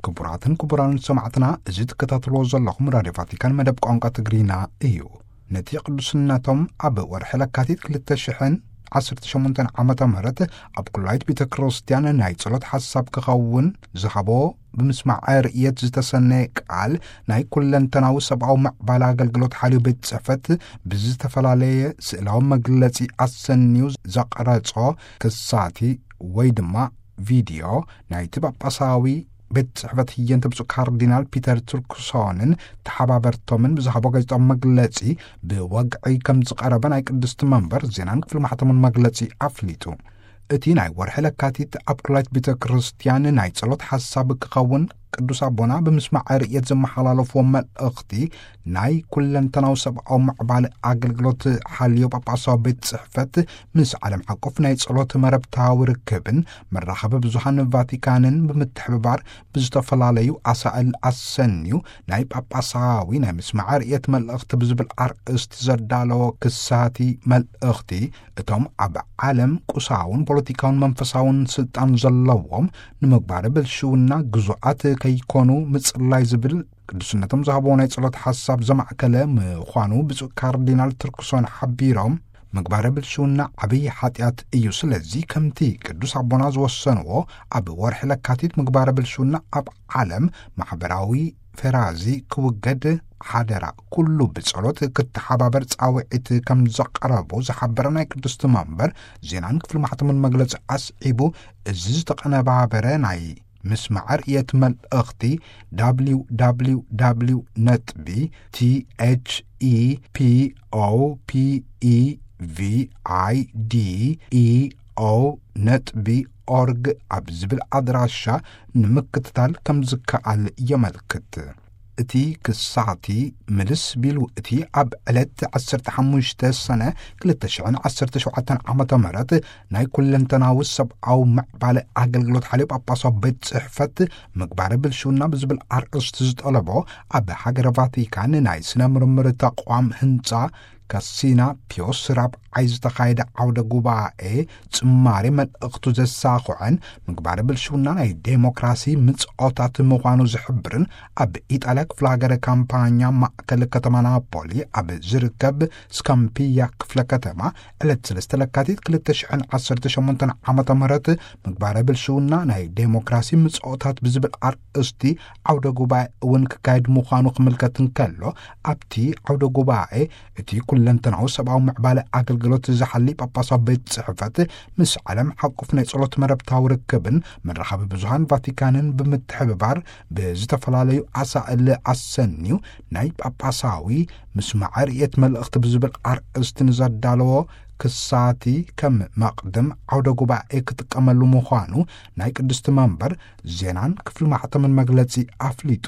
ክቡራትን ክቡራን ሰማዕትና፣ እዚ ትከታተልዎ ዘለኹም ራድዮ ቫቲካን መደብ ቋንቋ ትግርኛ እዩ። ነቲ ቅዱስነቶም ኣብ ወርሒ ለካቲት ክልተ ሽሕን ዓሰርተ ሸሞንተን ዓመተ ምህረት ኣብ ኩላይት ቤተ ክርስቲያን ናይ ጸሎት ሓሳብ ክኸውን ዝሃቦ ብምስማዕ ርእየት ዝተሰነየ ቃል፣ ናይ ኩለንተናዊ ሰብኣዊ ምዕባለ ኣገልግሎት ሓልዮ ቤት ጽሕፈት ብዝተፈላለየ ስእላዊ መግለጺ ኣሰንዩ ዘቕረጾ ክሳቲ ወይ ድማ ቪድዮ ናይቲ ጳጳሳዊ ቤት ጽሕፈት ህየንተ ብፁዕ ካርዲናል ፒተር ቱርክሶንን ተሓባበርቶምን ብዝሃቦ ጋዜጣዊ መግለጺ ብወግዒ ከም ዝቐረበ ናይ ቅድስቲ መንበር ዜናን ክፍሊ ማሕተሙን መግለጺ ኣፍሊጡ። እቲ ናይ ወርሒ ለካቲት ኣብ ኩላይት ቤተ ክርስቲያን ናይ ጸሎት ሓሳብ ክኸውን ቅዱስ ኣቦና ብምስማዕ ርእየት ዘመሓላለፍዎ መልእኽቲ ናይ ኩለንተናዊ ሰብኣዊ ምዕባለ ኣገልግሎት ሓልዮ ጳጳሳዊ ቤት ጽሕፈት ምስ ዓለም ሓቆፍ ናይ ጸሎት መረብታዊ ርክብን መራኸቢ ብዙሃን ቫቲካንን ብምትሕብባር ብዝተፈላለዩ ኣሳእል ኣሰንዩ ናይ ጳጳሳዊ ናይ ምስማዕ ርእየት መልእኽቲ ብዝብል ኣርእስቲ ዘዳለዎ ክሳቲ መልእኽቲ፣ እቶም ኣብ ዓለም ቁሳውን ፖለቲካውን መንፈሳውን ስልጣን ዘለዎም ንምግባረ ብልሽውና ግዙኣት ከይኮኑ ምጽላይ ዝብል ቅዱስነቶም ዝሃብዎ ናይ ጸሎት ሓሳብ ዘማእከለ ምዃኑ ብፁዕ ካርዲናል ቱርክሶን ሓቢሮም፣ ምግባረ ብልሽውና ዓብዪ ሓጢኣት እዩ። ስለዚ ከምቲ ቅዱስ ኣቦና ዝወሰንዎ ኣብ ወርሒ ለካቲት ምግባረ ብልሽውና ኣብ ዓለም ማሕበራዊ ፈራዚ ክውገድ ሓደራ ኩሉ ብጸሎት ክተሓባበር ጻውዒት ከም ዘቕረቡ ዝሓበረ ናይ ቅድስቲ መንበር ዜናን ክፍሊ ማሕተሙን መግለጺ ኣስዒቡ፣ እዚ ዝተቐነባበረ ናይ ምስማዕ ርእየት መልእኽቲ www ነጥቢ thepopevide ነጥቢ ኦርግ ኣብ ዝብል ኣድራሻ ንምክትታል ከም ዝከኣል የመልክት። እቲ ክሳቲ ምልስ ቢሉ እቲ ኣብ ዕለት ዓሰርተ ሓሙሽተ ሰነ ክልተ ሽሕን ዓሰርተ ሸውዓተን ዓመተ ምህረት ናይ ኩለንተናዊ ሰብኣዊ ምዕባለ ኣገልግሎት ሓልዮ ጳጳሳዊ ቤት ጽሕፈት ምግባረ ብልሽውና ብዝብል ኣርእስቲ ዝጠለቦ ኣብ ሃገረ ቫቲካን ናይ ስነ ምርምር ተቋም ህንጻ ካሲና ፒዮስ ራብዓይ ዝተኻየደ ዓውደ ጉባኤ ጽማሬ መልእኽቱ ዘሳኹዐን ምግባረ ብልሽውና ናይ ዴሞክራሲ ምጽኦታት ምዃኑ ዝሕብርን ኣብ ኢጣልያ ክፍለ ሃገረ ካምፓኛ ማእከል ከተማ ናፖሊ ኣብ ዝርከብ ስካምፒያ ክፍለ ከተማ ዕለት ሰለስተ ለካቲት ክልተ ሽሕን ዓሰርተ ሸሞንተን ዓመተ ምህረት ምግባረ ብልሽውና ናይ ዴሞክራሲ ምጽኦታት ብዝብል ኣርእስቲ ዓውደ ጉባኤ እውን ክካየድ ምዃኑ ክምልከት እንከሎ፣ ኣብቲ ዓውደ ጉባኤ እቲ ኩለንተናዊ ሰብኣዊ ምዕባለ ኣገልግሎት ዝሓሊ ጳጳሳዊ ቤት ጽሕፈት ምስ ዓለም ሓቁፍ ናይ ጸሎት መረብታዊ ርክብን መራኸቢ ብዙሃን ቫቲካንን ብምትሕብባር ብዝተፈላለዩ ኣሳእል ኣሰንዩ ናይ ጳጳሳዊ ምስማዕ ርእየት መልእኽቲ ብዝብል ኣርእስቲ ንዘዳለዎ ክሳቲ ከም መቕድም ዓውደ ጉባኤ ክጥቀመሉ ምዃኑ ናይ ቅድስቲ መንበር ዜናን ክፍሊ ማሕተምን መግለጺ ኣፍሊጡ።